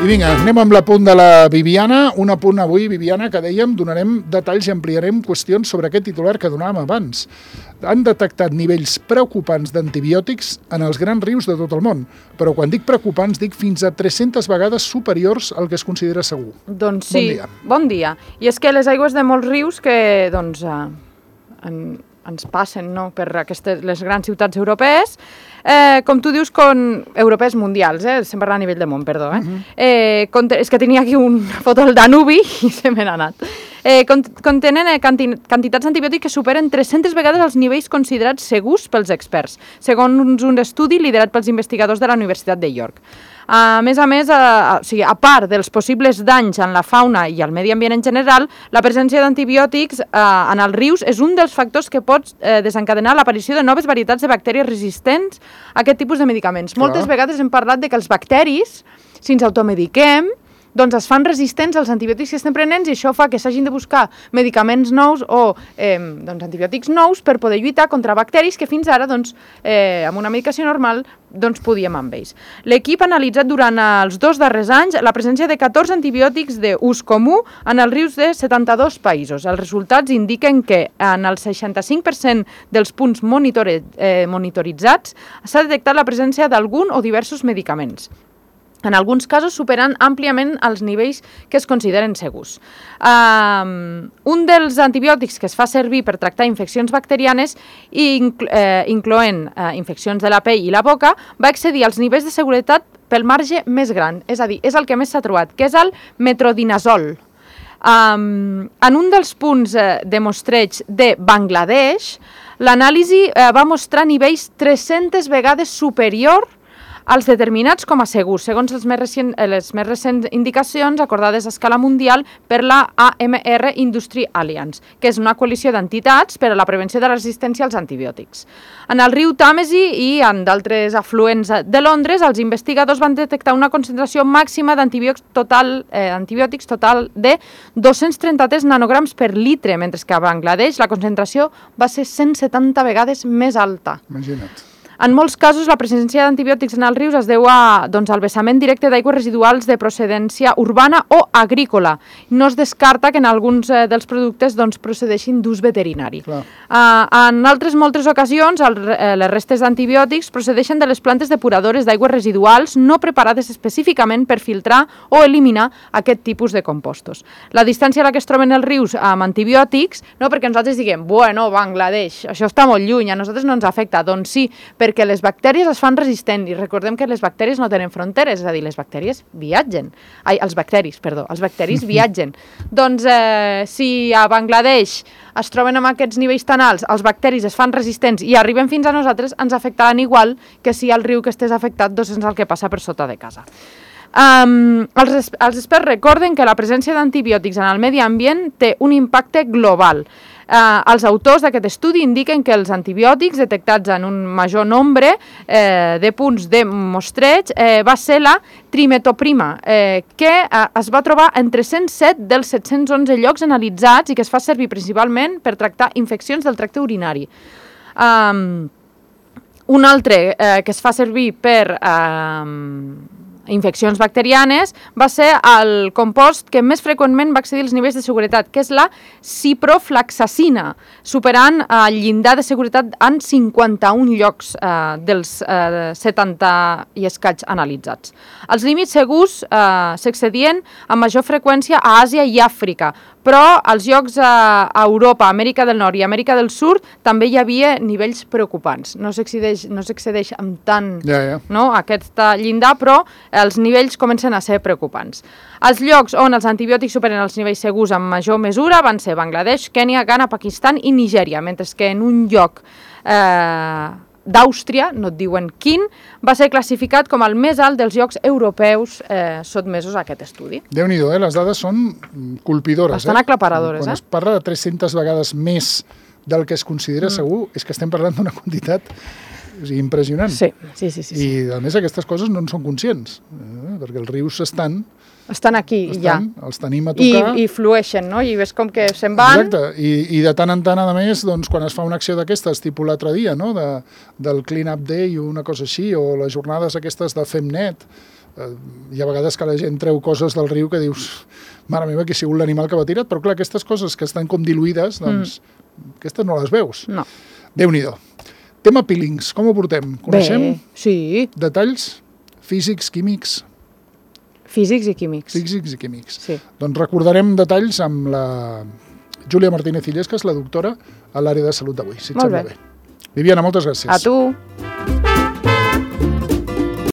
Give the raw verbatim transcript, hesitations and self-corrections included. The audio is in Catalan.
I vinga, anem amb l'apunt de la Viviana, un apunt avui, Viviana, que dèiem, donarem detalls i ampliarem qüestions sobre aquest titular que donàvem abans. Han detectat nivells preocupants d'antibiòtics en els grans rius de tot el món, però quan dic preocupants dic fins a tres-centes vegades superiors al que es considera segur. Doncs sí, bon dia. Bon dia. I és que les aigües de molts rius que doncs, eh, en, ens passen no? per aquestes, les grans ciutats europees, Eh, com tu dius, con europees mundials, eh? Estem parlant a nivell de món, perdó. Eh? Uh-huh. eh, conte... És que tenia aquí una foto del Danubi i se me n'ha anat. Eh, contenen eh, canti... quantitats d'antibiòtics que superen tres-centes vegades els nivells considerats segurs pels experts, segons un estudi liderat pels investigadors de la Universitat de York. A més a més, a, o sigui, a part dels possibles danys en la fauna i al medi ambient en general, la presència d'antibiòtics eh, en els rius és un dels factors que pot eh, desencadenar l'aparició de noves varietats de bactèries resistents a aquest tipus de medicaments. Clar. Moltes vegades hem parlat de que els bacteris, si ens automediquem, doncs es fan resistents als antibiòtics que estem prenent i això fa que s'hagin de buscar medicaments nous o eh, doncs, antibiòtics nous per poder lluitar contra bacteris que fins ara, doncs, eh, amb una medicació normal, doncs podíem amb ells. L'equip ha analitzat durant els dos darrers anys la presència de catorze antibiòtics d'ús comú en els rius de setanta-dos països. Els resultats indiquen que en el seixanta-cinc per cent dels punts monitore, eh, monitoritzats s'ha detectat la presència d'algun o diversos medicaments, en alguns casos superant àmpliament els nivells que es consideren segurs. Um, un dels antibiòtics que es fa servir per tractar infeccions bacterianes, inclo eh, incloent eh, infeccions de la pell i la boca, va excedir els nivells de seguretat pel marge més gran, és a dir, és el que més s'ha trobat, que és el metronidazol. Um, en un dels punts eh, de mostreig de Bangladesh, l'anàlisi eh, va mostrar nivells tres-centes vegades superior als determinats com a segurs, segons les més, recient, les més recents indicacions acordades a escala mundial per la A M R Industry Alliance, que és una coalició d'entitats per a la prevenció de la resistència als antibiòtics. En el riu Tàmesi i en d'altres afluents de Londres, els investigadors van detectar una concentració màxima d'antibiòtics total, eh, antibiòtics total de dos-cents trenta-tres nanograms per litre, mentre que a Bangladesh la concentració va ser cent setanta vegades més alta. Imagina't. En molts casos, la presència d'antibiòtics en els rius es deu a, doncs, al vessament directe d'aigües residuals de procedència urbana o agrícola. No es descarta que en alguns eh, dels productes doncs, procedeixin d'ús veterinari. Uh, en altres moltes ocasions, el, eh, les restes d'antibiòtics procedeixen de les plantes depuradores d'aigües residuals no preparades específicament per filtrar o eliminar aquest tipus de compostos. La distància a la que es troben els rius amb antibiòtics, no perquè nosaltres diguem, bueno, Bangladesh, això està molt lluny, a nosaltres no ens afecta. Doncs sí, perquè les bactèries es fan resistents i recordem que les bactèries no tenen fronteres, és a dir, les bactèries viatgen. Ai, els bacteris, perdó, els bacteris viatgen. Doncs eh, si a Bangladesh es troben amb aquests nivells tan alts, els bacteris es fan resistents i arriben fins a nosaltres, ens afectaran igual que si al riu que estés afectat doncs és el que passa per sota de casa. Um, els, els experts recorden que la presència d'antibiòtics en el medi ambient té un impacte global. Uh, els autors d'aquest estudi indiquen que els antibiòtics detectats en un major nombre eh, de punts de mostreig eh, va ser la trimetoprima, eh, que eh, es va trobar en tres-cents set dels set-cents onze llocs analitzats i que es fa servir principalment per tractar infeccions del tracte urinari. Um, un altre eh, que es fa servir per eh, infeccions bacterianes va ser el compost que més freqüentment va excedir els nivells de seguretat, que és la ciproflaxacina, superant eh, el llindar de seguretat en cinquanta-un llocs eh, dels eh, setanta i escaig analitzats. Els límits segurs eh, s'excedien amb major freqüència a Àsia i Àfrica, però als llocs a Europa, Amèrica del Nord i Amèrica del Sud també hi havia nivells preocupants. No s'excedeix no s'excedeix amb tant ja, ja. No, aquest llindar, però els nivells comencen a ser preocupants. Els llocs on els antibiòtics superen els nivells segurs en major mesura van ser Bangladesh, Kènia, Ghana, Pakistan i Nigèria, mentre que en un lloc eh, d'Àustria, no et diuen quin, va ser classificat com el més alt dels llocs europeus eh, sotmesos a aquest estudi. Déu-n'hi-do, eh? Les dades són colpidores. Bastant eh? aclaparadores. Quan eh? es parla de tres-centes vegades més del que es considera mm. segur, és que estem parlant d'una quantitat o sigui, impressionant. Sí, sí, sí, sí, sí. I, a més, aquestes coses no en són conscients, eh? perquè els rius estan estan aquí i ja. Els tenim a I, tocar. I flueixen, no? I ves com que se'n van. Exacte, I, i de tant en tant, a més, doncs, quan es fa una acció d'aquestes, tipus l'altre dia, no? de, del Clean Up Day o una cosa així, o les jornades aquestes de FemNet, eh, hi ha vegades que la gent treu coses del riu que dius, mare meva, que ha sigut l'animal que va tirat, però clar, aquestes coses que estan com diluïdes, doncs, mm. aquestes no les veus. No. Déu-n'hi-do. Tema peelings, com ho portem? Coneixem? Bé, sí. Detalls físics, químics? Físics i químics. Físics i químics. Sí. Doncs recordarem detalls amb la Júlia Martínez Illés, que és la doctora a l'àrea de salut d'avui, si et Molt sembla bé. bé. Viviana, moltes gràcies. A tu.